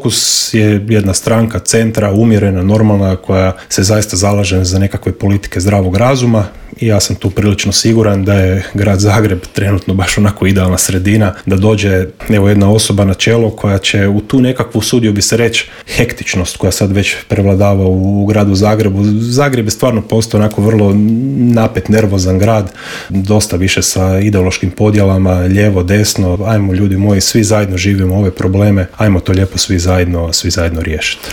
Fokus je jedna stranka centra, umjerena, normalna, koja se zaista zalaže za nekakve politike zdravog razuma i ja sam tu prilično siguran da je grad Zagreb trenutno baš onako idealna sredina, da dođe jedna osoba na čelo koja će u tu nekakvu, usudio bi se reći, hektičnost koja sad već prevladava u gradu Zagrebu. Zagreb je stvarno postao onako vrlo napet, nervozan grad, dosta više sa ideološkim podjelama, lijevo, desno, ajmo ljudi moji, svi zajedno živimo ove probleme, ajmo to lijepo svi zajedno riješiti.